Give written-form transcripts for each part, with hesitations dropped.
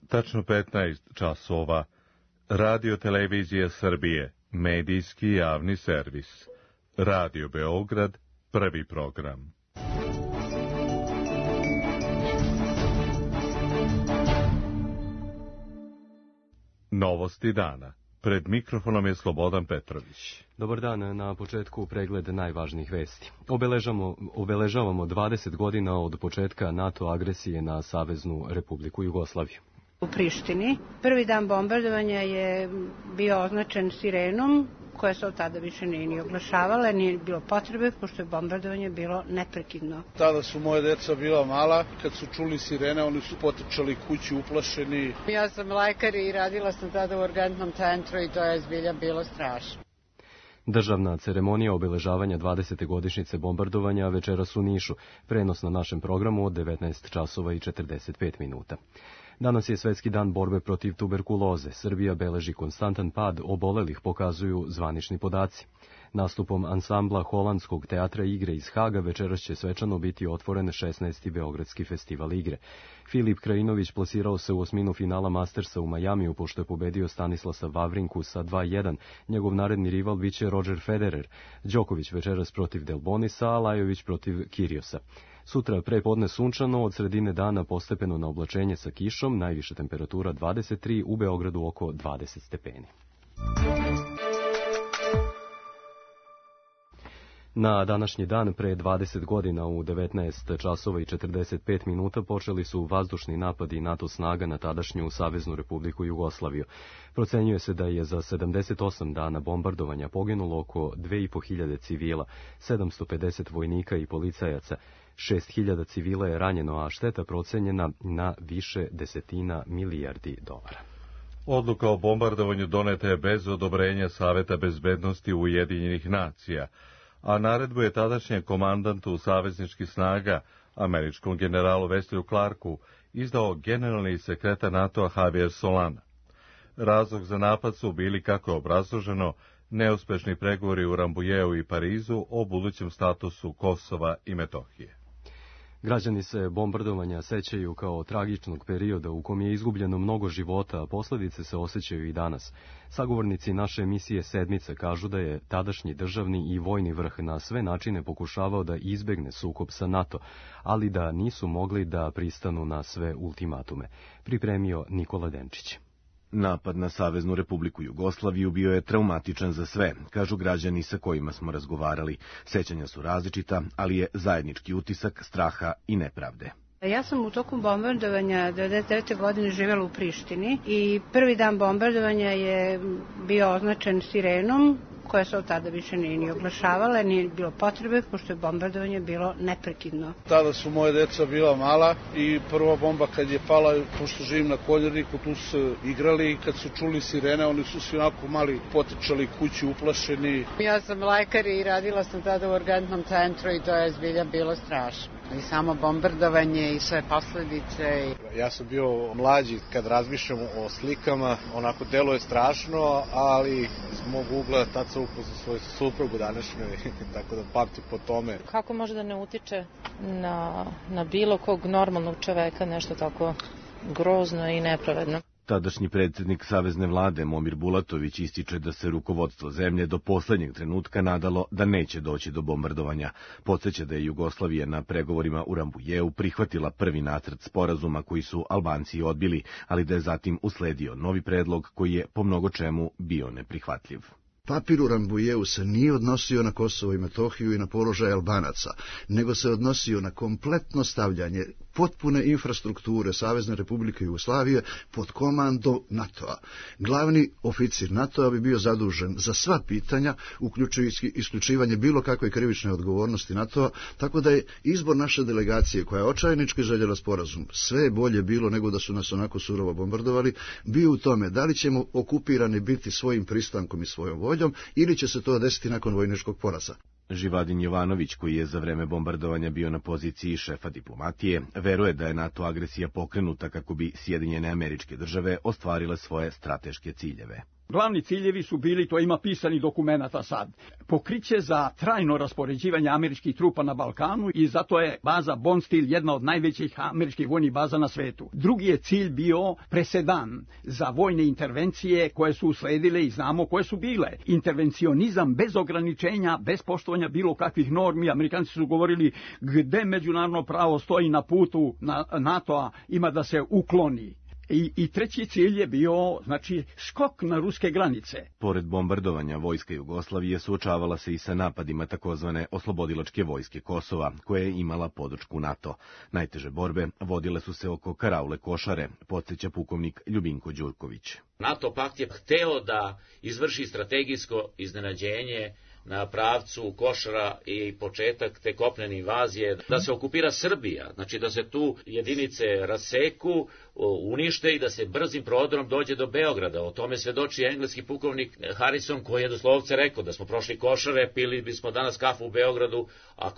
Tačno 15 časova. Radio Televizija Srbije, medijski javni servis. Radio Beograd, prvi program. Novosti dana. Pred mikrofonom je Slobodan Petrović. Dobar dan, na početku pregled najvažnijih vesti. Obeležavamo 20 godina od početka NATO agresije na Saveznu Republiku Jugoslaviju. U Prištini prvi dan bombardovanja je bio označen sirenom, koja se od tada više nije ni oglašavala, nije bilo potrebe, pošto je bombardovanje bilo neprekidno. Tada su moje deca bila mala, kad su čuli sirene, oni su potrčali kući uplašeni. Ja sam lekar i radila sam tada u urgentnom centru i to je zbilja bilo strašno. Državna ceremonija obeležavanja 20. godišnjice bombardovanja večeras u Nišu, prenos na našem programu od 19 časova i 45 minuta. Danas je Svetski dan borbe protiv tuberkuloze. Srbija beleži konstantan pad obolelih, pokazuju zvanični podaci. Nastupom ansambla Holandskog teatra igre iz Haga večeras će svečano biti otvoren 16. Beogradski festival igre. Filip Krajinović plasirao se u osminu finala Mastersa u Majamiju, pošto je pobedio Stanislasa Vavrinku sa 2:1. Njegov naredni rival biće Roger Federer. Đoković večeras protiv Delbonisa, a Lajović protiv Kiriosa. Sutra prepodne sunčano, od sredine dana postepeno na oblačenje sa kišom, najviša temperatura 23, u Beogradu oko 20 stepeni. Na današnji dan pre 20 godina u 19 časova i 45 minuta počeli su vazdušni napadi NATO snaga na tadašnju Saveznu Republiku Jugoslaviju. Procenjuje se da je za 78 dana bombardovanja poginulo oko 2.500 civila, 750 vojnika i policajaca. 6.000 civila je ranjeno, a šteta procenjena na više desetina milijardi dolara. Odluka o bombardovanju doneta je bez odobrenja Saveta bezbednosti Ujedinjenih nacija, a naredbu je tadašnjem komandantu savezničkih snaga, američkom generalu Wesley Clarku, izdao generalni sekretar NATO-a Javier Solana. Razlog za napad su bili, kako je obrazloženo, neuspešni pregovori u Rambujeu i Parizu o budućem statusu Kosova i Metohije. Građani se bombardovanja sećaju kao tragičnog perioda u kom je izgubljeno mnogo života, a posljedice se osjećaju i danas. Sagovornici naše emisije Sedmice kažu da je tadašnji državni i vojni vrh na sve načine pokušavao da izbegne sukob sa NATO, ali da nisu mogli da pristanu na sve ultimatume. Pripremio Nikola Denčić. Napad na Saveznu Republiku Jugoslaviju bio je traumatičan za sve, kažu građani sa kojima smo razgovarali. Sećanja su različita, ali je zajednički utisak straha i nepravde. Ja sam u toku bombardovanja 1999. godine živjela u Prištini i prvi dan bombardovanja je bio označen sirenom, koja se od tada više nije ni oglašavala, nije bilo potrebe, pošto je bombardovanje bilo neprekidno. Tada su moje deca bila mala i prva bomba kad je pala, pošto živim na Koljevniku, tu su igrali i kad su čuli sirene, oni su svi onako mali potrčali kući uplašeni. Ja sam lekar i radila sam tada u urgentnom centru i to je zbilja bilo strašno. I samo bombardovanje i sve posljedice. Ja sam bio mlađi, kad razmišljam o slikama, onako deluje strašno, ali iz mog ugla tad sam upoznao svoju suprugu današnju, tako da pamtim po tome. Kako može da ne utiče na bilo kog normalnog čoveka nešto tako grozno i nepravedno? Tadašnji predsjednik Savezne vlade Momir Bulatović ističe da se rukovodstvo zemlje do poslednjeg trenutka nadalo da neće doći do bombardovanja. Podsjeća da je Jugoslavija na pregovorima u Rambujeu prihvatila prvi nacrt sporazuma koji su Albanci odbili, ali da je zatim usledio novi predlog koji je po mnogo čemu bio neprihvatljiv. Papir u Rambujeu se nije odnosio na Kosovo i Metohiju i na položaj Albanaca, nego se odnosio na kompletno stavljanje potpune infrastrukture Savezne Republike Jugoslavije pod komando NATO-a. Glavni oficir NATO-a bi bio zadužen za sva pitanja, uključujući isključivanje bilo kakve krivične odgovornosti NATO-a, tako da je izbor naše delegacije, koja je očajnički željela sporazum, sve bolje bilo nego da su nas onako surovo bombardovali, bio u tome da li ćemo okupirani biti svojim pristankom i svojom voljom, ili će se to desiti nakon vojničkog poraza. Živadin Jovanović, koji je za vreme bombardovanja bio na poziciji šefa diplomatije, veruje da je NATO agresija pokrenuta kako bi Sjedinjene Američke Države ostvarile svoje strateške ciljeve. Glavni ciljevi su bili, to ima pisani dokumenata sad, pokriće za trajno raspoređivanje američkih trupa na Balkanu i zato je baza Bondsteel jedna od najvećih američkih vojnih baza na svetu. Drugi je cilj bio presedan za vojne intervencije koje su usledile i znamo koje su bile. Intervencionizam bez ograničenja, bez poštovanja bilo kakvih normi. Amerikanci su govorili gde međunarodno pravo stoji na putu NATO-a ima da se ukloni. I treći cilj je bio, znači, skok na ruske granice. Pored bombardovanja, vojska Jugoslavije suočavala se i sa napadima takozvane oslobodilačke vojske Kosova, koje je imala podršku NATO. Najteže borbe vodile su se oko Karaule Košare, podsjeća pukovnik Ljubinko Đurković. NATO pakt je hteo da izvrši strategijsko iznenađenje na pravcu Košara i početak te kopnene invazije, da se okupira Srbija, znači da se tu jedinice raseku, unište i da se brzim prodorom dođe do Beograda. O tome svedoči engleski pukovnik Harrison, koji je doslovce rekao da smo prošli Košare, pili bismo danas kafu u Beogradu, a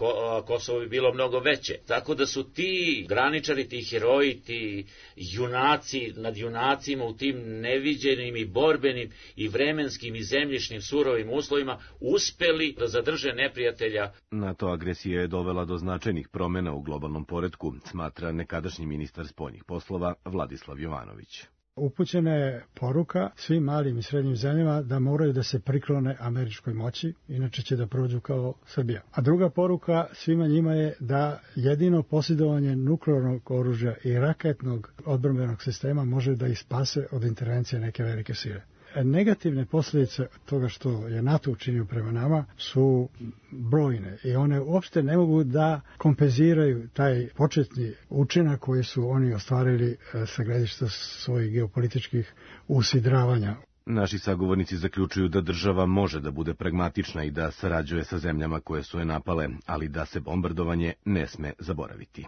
Kosovo bi bilo mnogo veće. Tako da su ti graničari, ti heroji, ti junaci nad junacima u tim neviđenim i borbenim i vremenskim i zemljišnim surovim uslovima uspeli da zadrže neprijatelja. NATO agresija je dovela do značajnih promjena u globalnom poretku, smatra nekadašnji ministar spoljnih poslova Vladislav Jovanović. Upućena je poruka svim malim i srednjim zemljama da moraju da se priklone američkoj moći, inače će da prođu kao Srbija. A druga poruka svima njima je da jedino posjedovanje nuklearnog oružja i raketnog odbrambenog sistema može da ih spase od intervencije neke velike sile. Negativne posljedice toga što je NATO učinio prema nama su brojne i one uopšte ne mogu da kompenziraju taj početni učinak koji su oni ostvarili sa gledišta svojih geopolitičkih usidravanja. Naši sagovornici zaključuju da država može da bude pragmatična i da sarađuje sa zemljama koje su je napale, ali da se bombardovanje ne sme zaboraviti.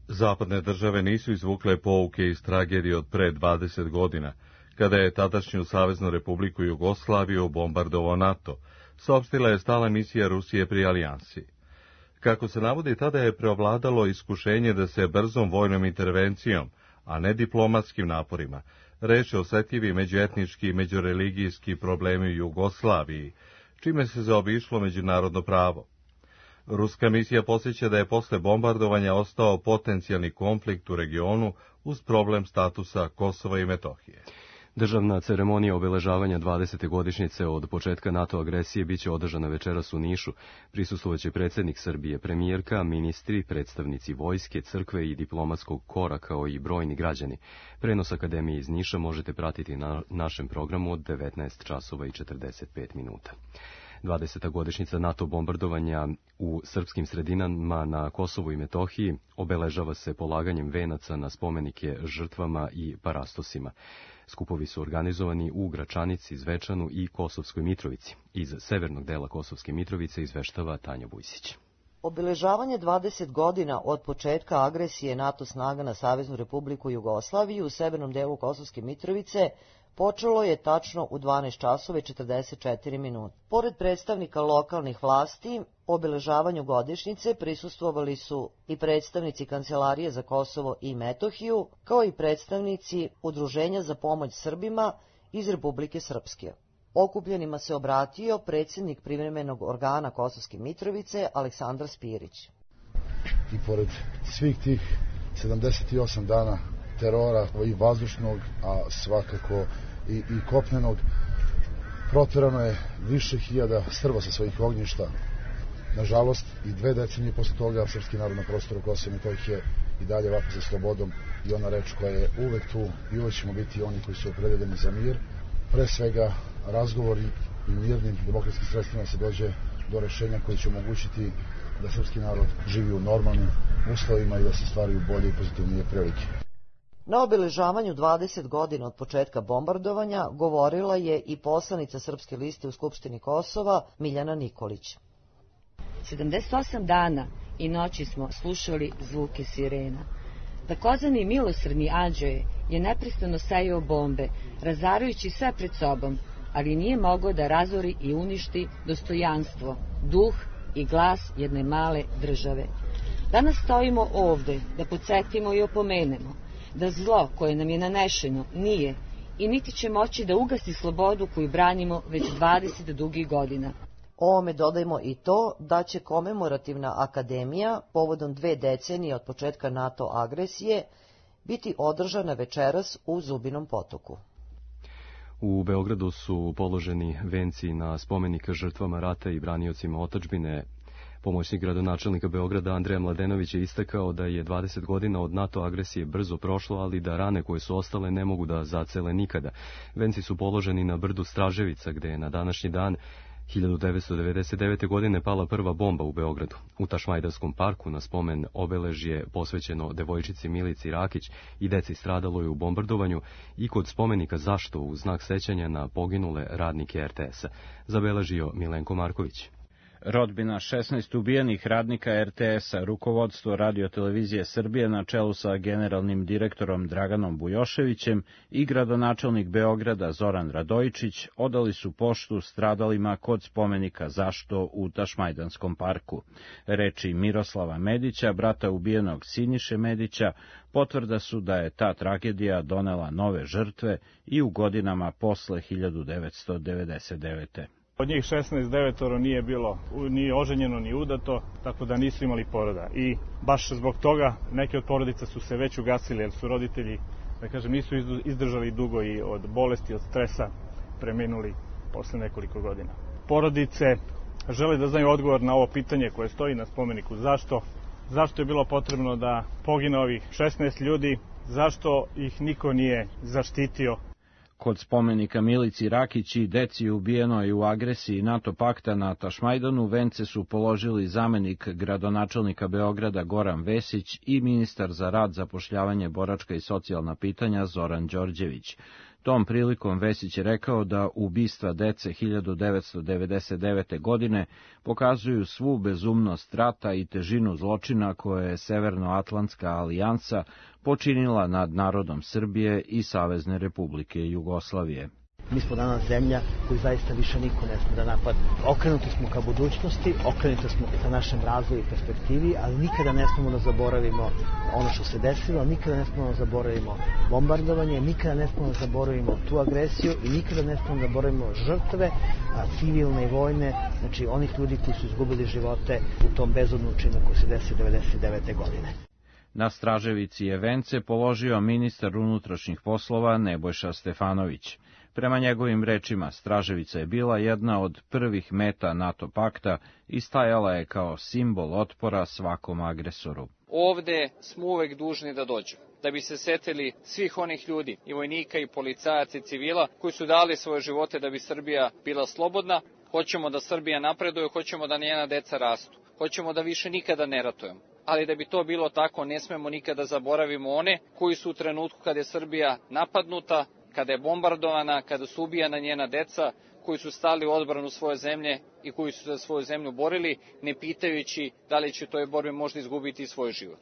Zapadne države nisu izvukle pouke iz tragedije od pre 20 godina, kada je tadašnju Saveznu Republiku Jugoslaviju bombardovao NATO, saopštila je stalna misija Rusije pri alijansi. Kako se navodi, tada je preovladalo iskušenje da se brzom vojnom intervencijom, a ne diplomatskim naporima, reše osetljivi međuetnički i međureligijski problemi u Jugoslaviji, čime se zaobišlo međunarodno pravo. Ruska misija podsjeća da je posle bombardovanja ostao potencijalni konflikt u regionu uz problem statusa Kosova i Metohije. Državna ceremonija obeležavanja 20. godišnjice od početka NATO agresije biće održana večeras u Nišu. Prisustvovaće predsjednik Srbije, premijerka, ministri, predstavnici vojske, crkve i diplomatskog kora, kao i brojni građani. Prenos Akademije iz Niša možete pratiti na našem programu od 19 časova i 45 minuta. 20. godišnjica NATO bombardovanja u srpskim sredinama na Kosovu i Metohiji obeležava se polaganjem venaca na spomenike žrtvama i parastosima. Skupovi su organizovani u Gračanici, Zvečanu i Kosovskoj Mitrovici. Iz severnog dela Kosovske Mitrovice izveštava Tanja Bujsić. Obeležavanje 20 godina od početka agresije NATO snaga na Saveznu Republiku Jugoslaviju u severnom delu Kosovske Mitrovice počelo je tačno u 12 časova i 44 minuta. Pored predstavnika lokalnih vlasti, obeležavanju godišnjice prisustvovali su i predstavnici Kancelarije za Kosovo i Metohiju, kao i predstavnici Udruženja za pomoć Srbima iz Republike Srpske. Okupljenima se obratio predsjednik privremenog organa Kosovske Mitrovice Aleksandar Spirić. I pored svih tih 78 dana terora i vazdušnog, a svakako i kopnenog, proterano je više hiljada Srba sa svojih ognjišta. Nažalost, i 2 decenije posle toga srpski narod na prostoru Kosova i Metohije i dalje vapi za slobodom i ona reč koja je uvek tu i uvek ćemo biti oni koji su opredeljeni za mir. Pre svega, razgovori i mirnim demokratskim sredstvima se dođe do rešenja koje će omogućiti da srpski narod živi u normalnim uslovima i da se stvaraju bolje i pozitivnije prilike. Na obeležavanju 20 godina od početka bombardovanja govorila je i poslanica Srpske liste u Skupštini Kosova Miljana Nikolić. 78 dana i noći smo slušali zvuke sirena. Takozvani milosrdni Andžej je neprestano sejao bombe, razarajući sve pred sobom, ali nije mogao da razori i uništi dostojanstvo, duh i glas jedne male države. Danas stojimo ovde da podsjetimo i opomenemo da zlo koje nam je nanešeno nije i niti će moći da ugasi slobodu koju branimo već 20 dugih godina. Ovome dodajmo i to da će komemorativna akademija povodom 2 decenije od početka NATO agresije biti održana večeras u Zubinom Potoku. U Beogradu su položeni venci na spomenik žrtvama rata i braniocima otadžbine. Pomoćnik gradonačelnika Beograda Andreja Mladenović je istakao da je 20 godina od NATO agresije brzo prošlo, ali da rane koje su ostale ne mogu da zacele nikada. Venci su položeni na brdu Straževica, gde je na današnji dan 1999. godine pala prva bomba u Beogradu. U Tašmajdanskom parku na spomen obeležje posvećeno devojčici Milici Rakić i deci stradaloj u bombardovanju i kod spomenika Zašto u znak sećanja na poginule radnike RTS-a, zabeležio Milenko Marković. Rodbina 16 ubijenih radnika RTS-a, rukovodstvo Radio-televizije Srbije na čelu sa generalnim direktorom Draganom Bujoševićem i gradonačelnik Beograda Zoran Radojičić odali su poštu stradalima kod spomenika Zašto u Tašmajdanskom parku. Reči Miroslava Medića, brata ubijenog Siniše Medića, potvrda su da je ta tragedija donela nove žrtve i u godinama posle 1999. Od njih 16 nije bilo ni oženjeno ni udato, tako da nisu imali poroda. I baš zbog toga neke od porodica su se već ugasili, jer su roditelji, da kažem, nisu izdržali dugo i od bolesti, od stresa preminuli posle nekoliko godina. Porodice žele da znaju odgovor na ovo pitanje koje stoji na spomeniku zašto. Zašto je bilo potrebno da pogine ovih 16 ljudi, zašto ih niko nije zaštitio. Kod spomenika Milici Rakić i deci ubijenoj u agresiji NATO pakta na Tašmajdanu vence su položili zamenik gradonačelnika Beograda Goran Vesić i ministar za rad, zapošljavanje, boračka i socijalna pitanja Zoran Đorđević. Tom prilikom Vesić je rekao da ubistva dece 1999. godine pokazuju svu bezumnost rata i težinu zločina koje je Severnoatlantska alijansa počinila nad narodom Srbije i Savezne Republike Jugoslavije. Mi smo danas zemlja koju zaista više niko ne sme da napadne. Okrenuti smo ka budućnosti, okrenuti smo ka našem razvoju i perspektivi, ali nikada ne smemo da zaboravimo ono što se desilo, nikada ne smemo da zaboravimo bombardovanje, nikada ne smemo da zaboravimo tu agresiju i nikada ne smemo da zaboravimo žrtve, civilne i vojne, znači onih ljudi koji su izgubili živote u tom bezumnom činu koji se desio 1999. godine. Na Straževici je vence položio ministar unutrašnjih poslova Nebojša Stefanović. Prema njegovim rečima, Straževica je bila jedna od prvih meta NATO pakta i stajala je kao simbol otpora svakom agresoru. Ovde smo uvek dužni da dođemo, da bi se setili svih onih ljudi, i vojnika, i policajaca, i civila, koji su dali svoje živote da bi Srbija bila slobodna. Hoćemo da Srbija napreduje, hoćemo da njena deca rastu, hoćemo da više nikada ne ratujemo. Ali da bi to bilo tako, ne smemo nikada zaboravimo one koji su u trenutku kada je Srbija napadnuta, kada je bombardovana, kada su ubijana njena deca, koji su stali u odbranu svoje zemlje i koji su za svoju zemlju borili, ne pitajući da li će u toj borbi možda izgubiti svoj život.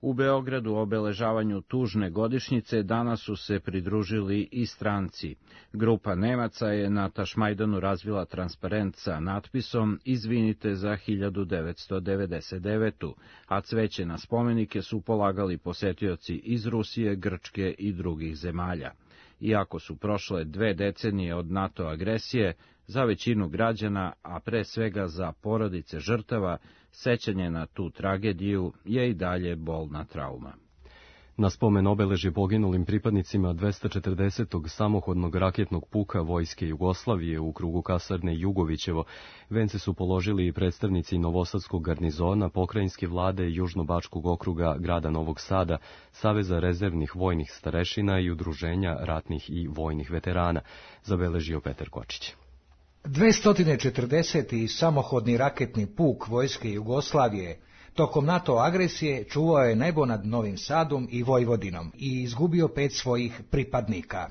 U Beogradu obeležavanju tužne godišnjice danas su se pridružili i stranci. Grupa Nemaca je na Tašmajdanu razvila transparent sa natpisom "Izvinite za 1999", a cveće na spomenike su polagali posetioci iz Rusije, Grčke i drugih zemalja. Iako su prošle 2 decenije od NATO agresije, za većinu građana, a pre svega za porodice žrtava, sećanje na tu tragediju je i dalje bolna trauma. Na spomen obeležje poginulim pripadnicima 240. samohodnog raketnog puka Vojske Jugoslavije u krugu kasarne Jugovićevo, vence su položili i predstavnici Novosadskog garnizona, pokrajinske vlade Južnobačkog okruga grada Novog Sada, Saveza rezervnih vojnih starešina i Udruženja ratnih i vojnih veterana, zabeležio Petar Kočić. 240. samohodni raketni puk Vojske Jugoslavije tokom NATO agresije čuvao je nebo nad Novim Sadom i Vojvodinom i izgubio 5 svojih pripadnika.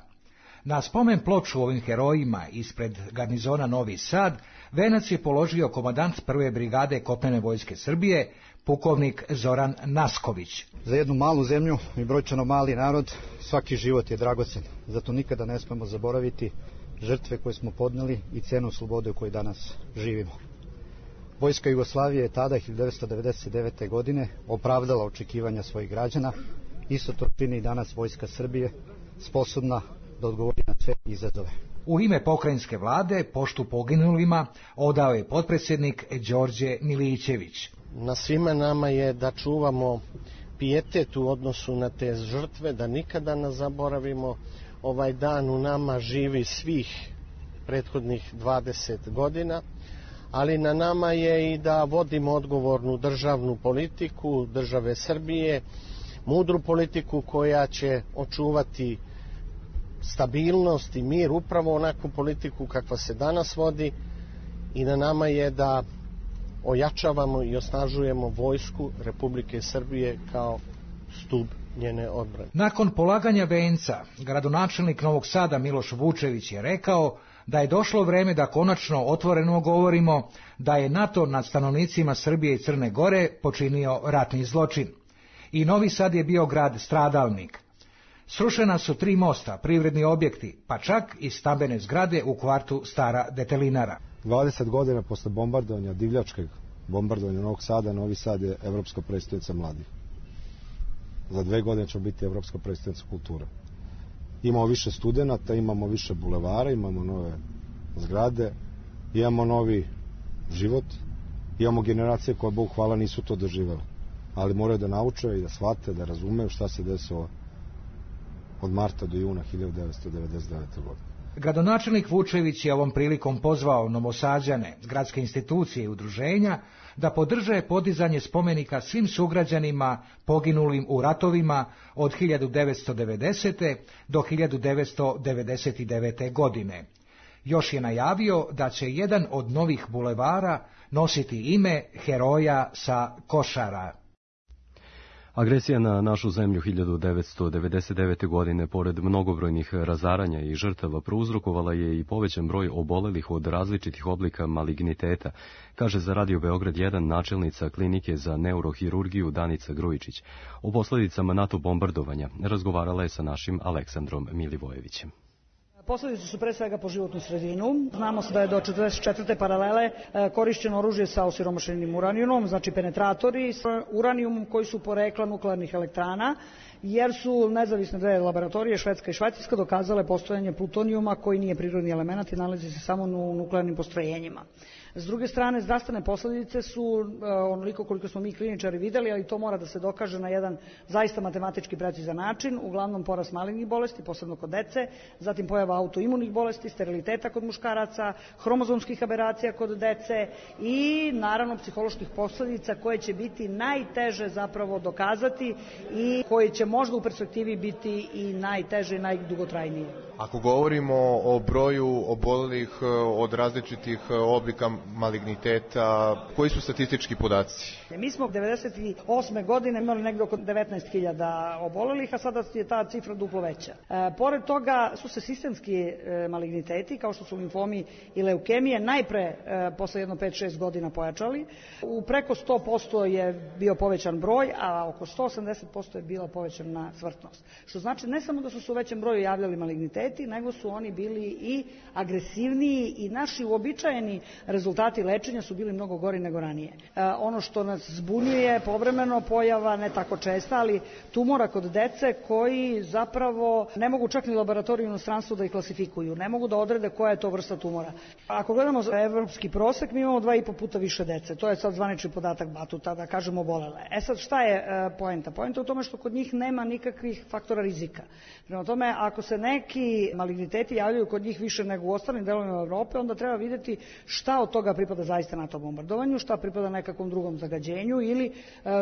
Na spomen ploču ovim herojima ispred garnizona Novi Sad venac je položio komandant 1. brigade kopnene vojske Srbije, pukovnik Zoran Nasković. Za jednu malu zemlju i brojčano mali narod svaki život je dragocen, zato nikada ne smemo zaboraviti žrtve koje smo podneli i cenu slobode u kojoj danas živimo. Vojska Jugoslavije je tada, 1999. godine, opravdala očekivanja svojih građana. Isto to čini i danas Vojska Srbije, sposobna da odgovori na izazove. U ime pokrajinske vlade poštu poginulima odao je potpredsjednik Đorđe Milićević. Na svima nama je da čuvamo pijetet u odnosu na te žrtve, da nikada ne zaboravimo. Ovaj dan u nama živi svih prethodnih 20 godina, ali na nama je i da vodimo odgovornu državnu politiku države Srbije, mudru politiku koja će očuvati stabilnost i mir, upravo onakvu politiku kakva se danas vodi, i na nama je da ojačavamo i osnažujemo vojsku Republike Srbije kao stub njene odbrane. Nakon polaganja venca, gradonačelnik Novog Sada Miloš Vučević je rekao da je došlo vreme da konačno otvoreno govorimo da je NATO nad stanovnicima Srbije i Crne Gore počinio ratni zločin. I Novi Sad je bio grad stradalnik. Srušena su 3 mosta, privredni objekti, pa čak i stambene zgrade u kvartu Stara Detelinara. 20 godina posle bombardovanja, divljačkog bombardovanja Novog Sada, Novi Sad je evropska predstavnica mladih. Za 2 godine ćemo biti evropska predstavnica kultura. Imamo više studenata, imamo više bulevara, imamo nove zgrade, imamo novi život, imamo generacije koje, Bog hvala, nisu to doživjeli. Ali moraju da nauče i da shvate, da razumeju šta se desilo od marta do juna 1999. godine. Gradonačelnik Vučević je ovom prilikom pozvao Novosađane, gradske institucije i udruženja da podrže podizanje spomenika svim sugrađanima poginulim u ratovima od 1990. do 1999. godine. Još je najavio da će jedan od novih bulevara nositi ime heroja sa Košara. Agresija na našu zemlju 1999. godine, pored mnogobrojnih razaranja i žrtava, prouzrokovala je i povećan broj obolelih od različitih oblika maligniteta, kaže za Radio Beograd 1 načelnica klinike za neurohirurgiju Danica Grujičić. O posledicama NATO bombardovanja razgovarala je sa našim Aleksandrom Milivojevićem. Posledice su pre svega po životnu sredinu. Znamo se da je do 44. paralele korišćeno oružje sa osiromašenim uranijumom, znači penetratori s uranijumom koji su porekla nuklearnih elektrana, jer su nezavisne 2 laboratorije, švedska i švajcarska, dokazale postojanje plutonijuma koji nije prirodni element i nalazi se samo u nuklearnim postrojenjima. S druge strane, zdravstvene posledice su onoliko koliko smo mi kliničari videli, ali to mora da se dokaže na jedan zaista matematički precizan način, uglavnom porast malignih bolesti, posebno kod dece, zatim pojava autoimunih bolesti, steriliteta kod muškaraca, hromozomskih aberacija kod dece i naravno psiholoških posledica koje će biti najteže zapravo dokazati i koje će možda u perspektivi biti i najteže i najdugotrajnije. Ako govorimo o broju obolelih od različitih oblika maligniteta, koji su statistički podaci? Mi smo 1998. godine imali negdje oko 19.000 obolelih, a sada je ta cifra duplo veća. Pored toga su se sistemski maligniteti, kao što su limfomi i leukemije, najpre posle jedno 5-6 godina pojačali. U preko 100% je bio povećan broj, a oko 180% je bila povećana smrtnost. Što znači ne samo da su se u većem broju javljali maligniteti, nego su oni bili i agresivniji i naši uobičajeni rezultati lečenja su bili mnogo gori nego ranije. Ono što nas zbunjuje povremeno pojava, ne tako česta, ali tumora kod dece koji zapravo ne mogu čak ni laboratoriju u inostranstvu da ih klasifikuju, ne mogu da odrede koja je to vrsta tumora. Ako gledamo evropski prosek, mi imamo 2,5 puta više dece, to je sad zvanični podatak Batuta, da kažemo obolele. Sad šta je poenta? Poenta u tome što kod njih nema nikakvih faktora rizika. Prema tome, ako se neki maligniteti javljaju kod njih više nego u ostalim delovima Evrope, onda treba vidjeti šta od toga pripada zaista NATO bombardovanju, šta pripada nekakvom drugom zagađenju ili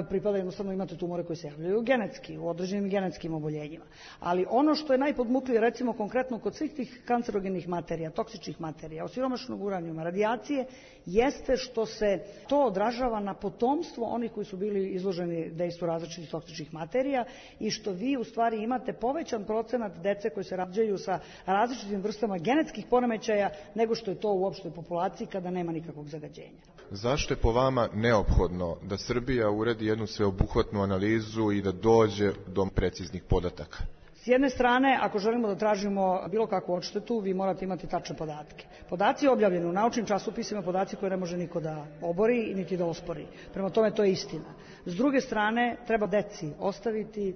pripada jednostavno imate tumore koji se javljaju genetski, u određenim genetskim oboljenjima. Ali ono što je najpodmuklije, recimo konkretno kod svih tih kancerogenih materija, toksičnih materija, osiromašenog uranijuma, radijacije, jeste što se to odražava na potomstvo onih koji su bili izloženi dejstvu različitih toksičnih materija i što vi u stvari imate povećan procenat dece koji se rađaju sa različitim vrstama genetskih poremećaja nego što je to u opštoj populaciji kada nema nikakvog zagađenja. Zašto je po vama neophodno da Srbija uredi jednu sveobuhvatnu analizu i da dođe do preciznih podataka? S jedne strane, ako želimo da tražimo bilo kakvu odštetu, vi morate imati tačne podatke. Podaci objavljeni u naučnim časopisima, podaci koje ne može niko da obori niti da ospori. Prema tome, to je istina. S druge strane, treba deci ostaviti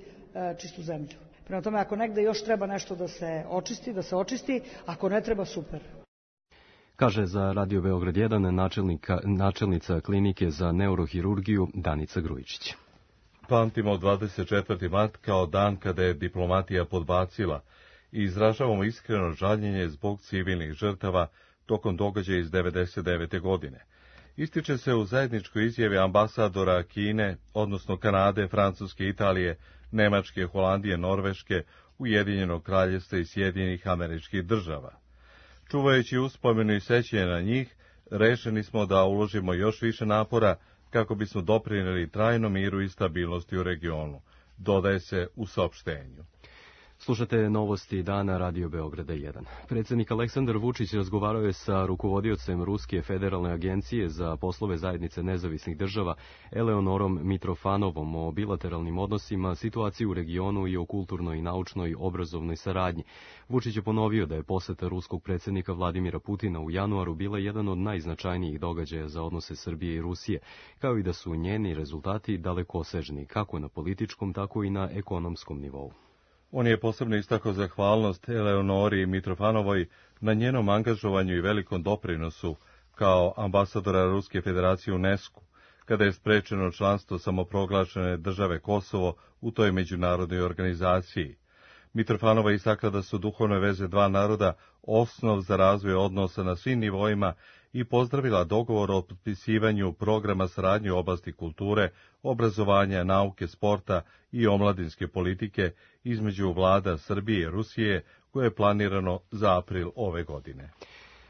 čistu zemlju. Prema tome, ako negde još treba nešto da se očisti, ako ne treba, super. Kaže za Radio Beograd 1 načelnica klinike za neurohirurgiju Danica Grujičić. Pamtimo 24. mart kao dan kada je diplomatija podbacila i izražavamo iskreno žaljenje zbog civilnih žrtava tokom događaja iz 1999. godine. Ističe se u zajedničkoj izjavi ambasadora Kine, odnosno Kanade, Francuske, Italije, Nemačke, Holandije, Norveške, Ujedinjenog Kraljevstva i Sjedinjenih Američkih Država. Čuvajući uspomenu i sećanje na njih, rešeni smo da uložimo još više napora kako bismo doprinijeli trajnom miru i stabilnosti u regionu, dodaje se u saopštenju. Slušate novosti dana Radio Beograda 1. Predsjednik Aleksandar Vučić razgovarao je sa rukovodiocem Ruske federalne agencije za poslove zajednice nezavisnih država Eleonorom Mitrofanovom o bilateralnim odnosima, situaciji u regionu i o kulturnoj i naučnoj obrazovnoj saradnji. Vučić je ponovio da je poseta ruskog predsjednika Vladimira Putina u januaru bila jedan od najznačajnijih događaja za odnose Srbije i Rusije, kao i da su njeni rezultati dalekosežni kako na političkom, tako i na ekonomskom nivou. On je posebno istakao zahvalnost Eleonori Mitrofanovoj na njenom angažovanju i velikom doprinosu kao ambasadora Ruske federacije u UNESCO, kada je sprečeno članstvo samoproglašene države Kosovo u toj međunarodnoj organizaciji. Mitrofanova istakla da su duhovne veze dva naroda osnov za razvoj odnosa na svim nivoima i pozdravila dogovor o potpisivanju programa saradnje u oblasti kulture, obrazovanja, nauke, sporta i omladinske politike između vlada Srbije i Rusije, koje je planirano za april ove godine.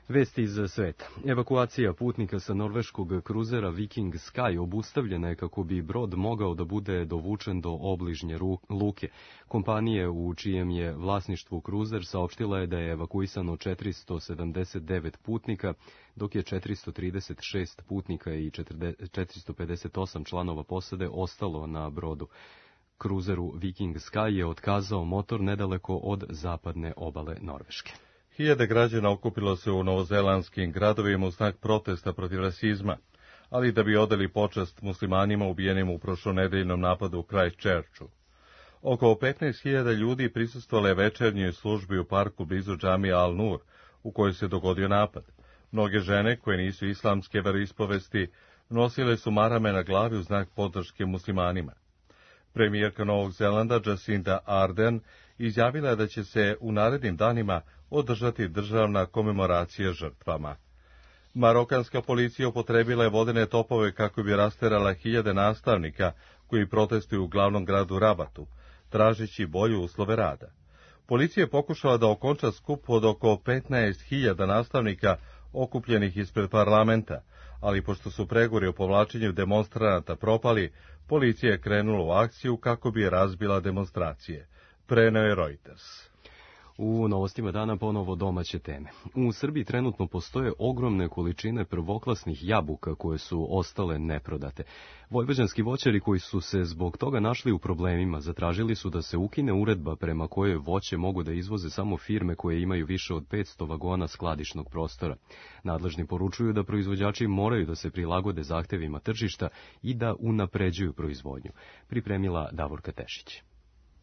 Vesti iz sveta. Evakuacija putnika sa norveškog kruzera Viking Sky obustavljena je kako bi brod mogao da bude dovučen do obližnje luke. Kompanije u čijem je vlasništvu kruzer saopštila je da je evakuisano 479 putnika, dok je 436 putnika i 458 članova posade ostalo na brodu. Kruzeru Viking Sky je otkazao motor nedaleko od zapadne obale Norveške. Hiljade građana okupilo se u novozelandskim gradovima u znak protesta protiv rasizma, ali da bi odali počast muslimanima ubijenim u prošlonedeljnom napadu u Christchurchu. Oko 15.000 ljudi prisustvovalo je večernjoj službi u parku blizu džamije Al-Nur, u kojoj se dogodio napad. Mnoge žene, koje nisu islamske veroispovesti, nosile su marame na glavi u znak podrške muslimanima. Premijerka Novog Zelanda Jacinda Ardern izjavila je da će se u narednim danima održati državna komemoracija žrtvama. Marokanska policija upotrebila je vodene topove kako bi rasterala hiljade nastavnika koji protestuju u glavnom gradu Rabatu, tražeći bolje uslove rada. Policija je pokušala da okonča skup od oko 15.000 nastavnika okupljenih ispred parlamenta, ali pošto su pregovori o povlačenju demonstranata propali, policija je krenula u akciju kako bi razbila demonstracije. Preneo je Reuters. U novostima dana ponovo domaće teme. U Srbiji trenutno postoje ogromne količine prvoklasnih jabuka koje su ostale neprodate. Vojvođanski voćari koji su se zbog toga našli u problemima zatražili su da se ukine uredba prema kojoj voće mogu da izvoze samo firme koje imaju više od 500 vagona skladišnog prostora. Nadležni poručuju da proizvođači moraju da se prilagode zahtevima tržišta i da unapređuju proizvodnju. Pripremila Davorka Tešić.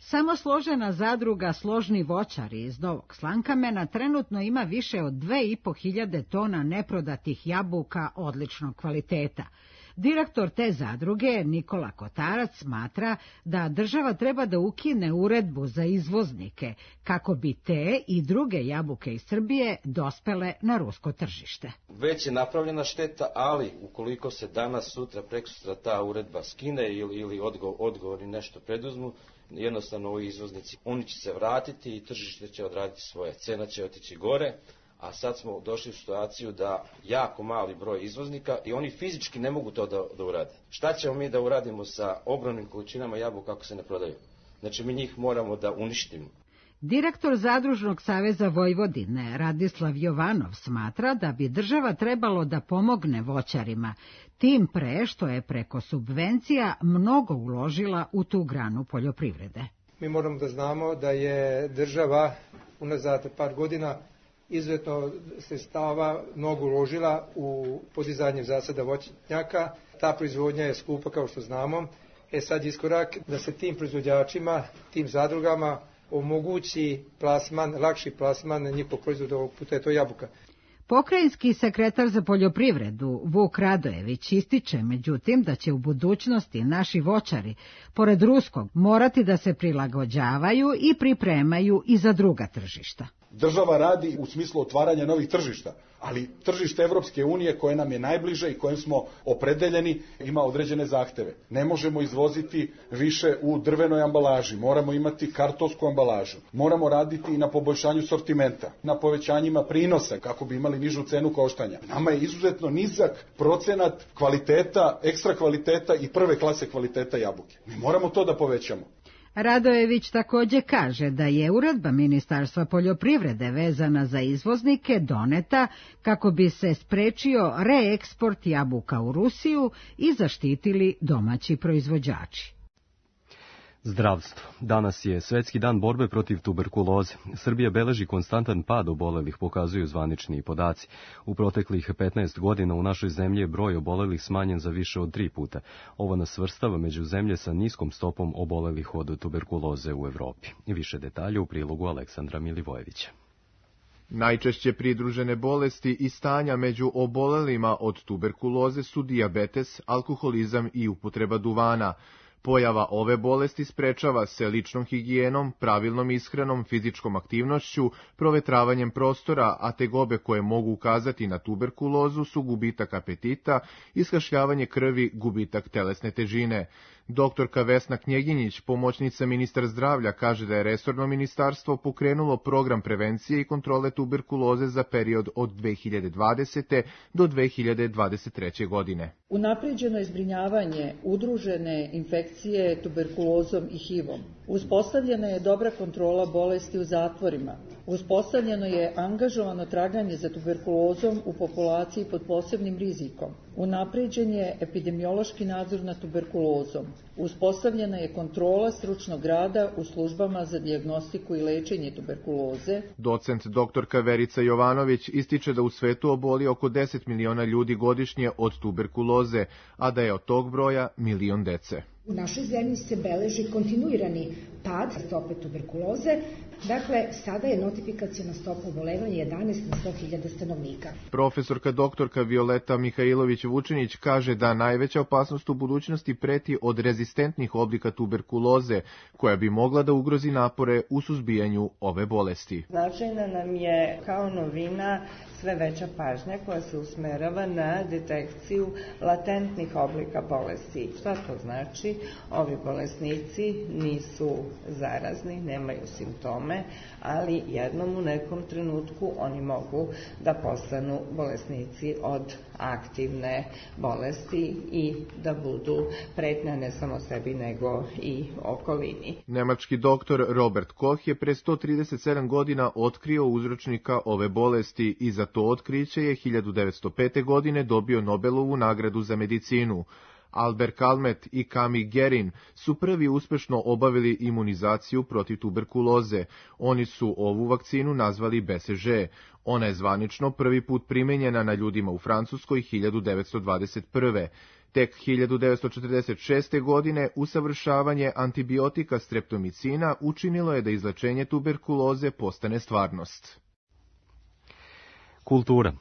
Samo složena zadruga Složni voćari iz Novog Slankamena trenutno ima više od 2.500 tona neprodatih jabuka odličnog kvaliteta. Direktor te zadruge, Nikola Kotarac, smatra da država treba da ukine uredbu za izvoznike kako bi te i druge jabuke iz Srbije dospele na rusko tržište. Već je napravljena šteta, ali ukoliko se danas, sutra, prekosutra ta uredba skine ili odgovori nešto preduzmu, jednostavno ovi izvoznici, oni će se vratiti i tržište će odraditi svoje, cena će otići gore, a sad smo došli u situaciju da jako mali broj izvoznika i oni fizički ne mogu to da urade. Šta ćemo mi da uradimo sa ogromnim količinama jabuka kako se ne prodaju? Znači mi njih moramo da uništimo. Direktor Zadružnog saveza Vojvodine, Radislav Jovanov, smatra da bi država trebalo da pomogne voćarima, tim pre što je preko subvencija mnogo uložila u tu granu poljoprivrede. Mi moramo da znamo da je država unazad par godina izuzetno sredstava mnogo uložila u podizanje zasada voćnjaka. Ta proizvodnja je skupa kao što znamo. Sad iskorak da se tim proizvođačima, tim zadrugama omogući plasman, lakši plasman njihov proizvod, ovog puta je to jabuka. Pokrajinski sekretar za poljoprivredu Vuk Radojević ističe, međutim, da će u budućnosti naši voćari, pored ruskog, morati da se prilagođavaju i pripremaju i za druga tržišta. Država radi u smislu otvaranja novih tržišta, ali tržište Evropske unije koje nam je najbliže i kojem smo opredeljeni ima određene zahteve. Ne možemo izvoziti više u drvenoj ambalaži, moramo imati kartonsku ambalažu, moramo raditi i na poboljšanju sortimenta, na povećanjima prinosa kako bi imali nižu cenu koštanja. Nama je izuzetno nizak procenat kvaliteta, ekstra kvaliteta i prve klase kvaliteta jabuke. Mi moramo to da povećamo. Radojević također kaže da je uredba Ministarstva poljoprivrede vezana za izvoznike doneta kako bi se sprečio reeksport jabuka u Rusiju i zaštitili domaći proizvođači. Zdravstvo. Danas je Svetski dan borbe protiv tuberkuloze. Srbija beleži konstantan pad obolelih, pokazuju zvanični podaci. U proteklih 15 godina u našoj zemlji je broj obolelih smanjen za više od 3 puta. Ovo nas svrstava među zemlje sa niskom stopom obolelih od tuberkuloze u Evropi. Više detalja u prilogu Aleksandra Milivojevića. Najčešće pridružene bolesti i stanja među obolelima od tuberkuloze su dijabetes, alkoholizam i upotreba duvana. Pojava ove bolesti sprečava se ličnom higijenom, pravilnom ishranom, fizičkom aktivnošću, provetravanjem prostora, a tegobe koje mogu ukazati na tuberkulozu su gubitak apetita, iskašljavanje krvi, gubitak telesne težine. Doktorka Vesna Knjeginjić, pomoćnica ministra zdravlja, kaže da je resorno ministarstvo pokrenulo program prevencije i kontrole tuberkuloze za period od 2020. do 2023. godine. Unapređeno je zbrinjavanje udružene infekcije tuberkulozom i HIV-om. Uspostavljena je dobra kontrola bolesti u zatvorima. Uspostavljeno je angažovano traganje za tuberkulozom u populaciji pod posebnim rizikom. Unapređen je epidemiološki nadzor nad tuberkulozom. Uspostavljena je kontrola stručnog rada u službama za dijagnostiku i lečenje tuberkuloze. Docent doktorka Verica Jovanović ističe da u svetu oboli oko 10 miliona ljudi godišnje od tuberkuloze, a da je od tog broja milion dece. U našoj zemlji se beleži kontinuirani pad stope tuberkuloze, dakle sada je notifikaciona stopa obolevanja 11 na 100.000 stanovnika. Profesorka doktorka Violeta Mihajlović-Vučinić kaže da najveća opasnost u budućnosti preti od rezistentnih oblika tuberkuloze, koja bi mogla da ugrozi napore u suzbijanju ove bolesti. Značajna nam je kao novina sve veća pažnja koja se usmerava na detekciju latentnih oblika bolesti. Šta to znači? Ovi bolesnici nisu zarazni, nemaju simptome, ali jednom u nekom trenutku oni mogu da postanu bolesnici od aktivne bolesti i da budu pretnja ne samo sebi nego i okolini. Nemački doktor Robert Koch je pre 137 godina otkrio uzročnika ove bolesti i za to otkriće je 1905. godine dobio Nobelovu nagradu za medicinu. Albert Calmet i Camille Guerin su prvi uspešno obavili imunizaciju protiv tuberkuloze. Oni su ovu vakcinu nazvali BCG. Ona je zvanično prvi put primenjena na ljudima u Francuskoj 1921. Tek 1946. godine usavršavanje antibiotika streptomicina učinilo je da izlečenje tuberkuloze postane stvarnost. Kultura.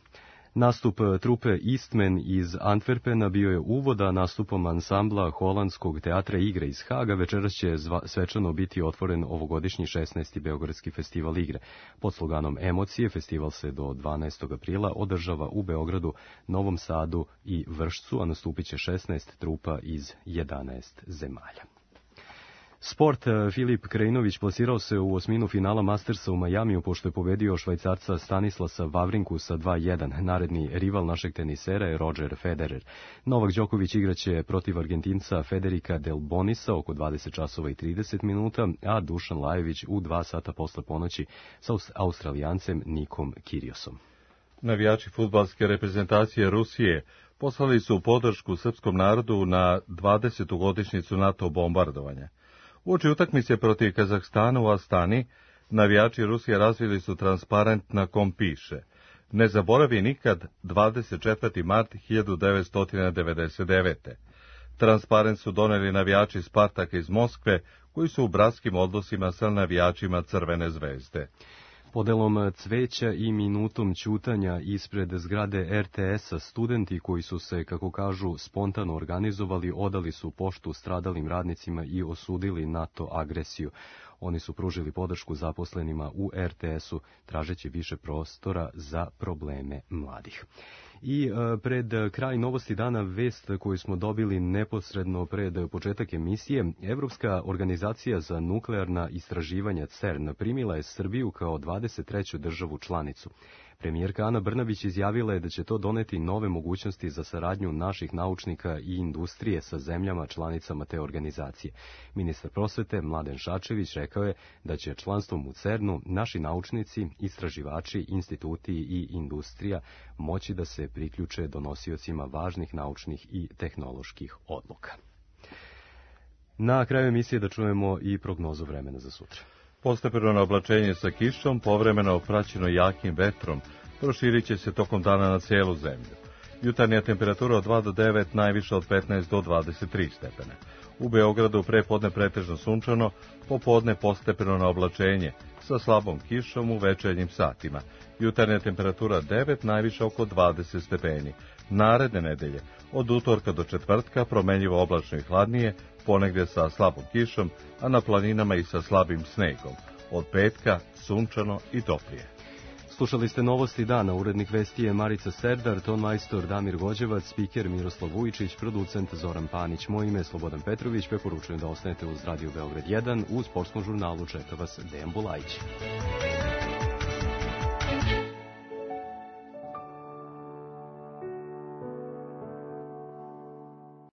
Nastup trupe Eastman iz Antwerpena bio je uvoda nastupom ansambla Holandskog teatra igre iz Haga. Večeras će svečano biti otvoren ovogodišnji 16. Beogradski festival igre. Pod sloganom Emocije festival se do 12. aprila održava u Beogradu, Novom Sadu i Vršcu, a nastupit će 16 trupa iz 11 zemalja. Sport. Filip Krajinović plasirao se u osminu finala Mastersa u Majamiju pošto je pobedio Švajcarca Stanislasa Wawrinkusa 2-1. Naredni rival našeg tenisera je Roger Federer. Novak Đoković igraće protiv Argentinca Federica Del Bonisa oko 20 časova i 30 minuta, a Dušan Lajović u 2 sata posle ponoći sa Australijancem Nikom Kyriosom. Navijači fudbalske reprezentacije Rusije poslali su podršku srpskom narodu na 20. godišnjicu NATO bombardovanja. Uoči utakmice protiv Kazahstana u Astani, navijači Rusije razvili su transparent na kom piše: "Ne zaboravi nikad 24. mart 1999. Transparent su doneli navijači Spartaka iz Moskve, koji su u bratskim odnosima sa navijačima Crvene zvezde. Podelom cveća i minutom ćutanja ispred zgrade RTS-a studenti koji su se, kako kažu, spontano organizovali, odali su poštu stradalim radnicima i osudili NATO agresiju. Oni su pružili podršku zaposlenima u RTS-u, tražeći više prostora za probleme mladih. I pred kraj novosti dana vest koju smo dobili neposredno pred početak emisije, Evropska organizacija za nuklearna istraživanja CERN primila je Srbiju kao 23. državu članicu. Premijerka Ana Brnabić izjavila je da će to doneti nove mogućnosti za saradnju naših naučnika i industrije sa zemljama članicama te organizacije. Ministar prosvete Mladen Šarčević rekao je da će članstvom u CERN-u naši naučnici, istraživači, instituti i industrija moći da se priključe donosiocima važnih naučnih i tehnoloških odluka. Na kraju emisije da čujemo i prognozu vremena za sutra. Postepeno oblačenje sa kišom, povremeno praćeno jakim vetrom, proširit će se tokom dana na cijelu zemlju. Jutarnja temperatura od 2 do 9, najviša od 15 do 23 stepena. U Beogradu prepodne pretežno sunčano, popodne postepeno oblačenje, sa slabom kišom u večernjim satima. Jutarnja temperatura 9, najviša oko 20 stepeni. Naredne nedelje, od utorka do četvrtka, promenljivo oblačno i hladnije, ponegdje sa slabom kišom, a na planinama i sa slabim snegom. Od petka sunčano i toplije. Slušali ste novosti dana, urednik vesti je Marica Serdar, ton majstor Damir Gođevac, spiker Miroslav Vujičić, producent Zoran Panić. Moje ime je Slobodan Petrović, preporučujem da ostanete uz Radio Beograd 1, u sportskom žurnalu čeka vas Dejan Bulajić.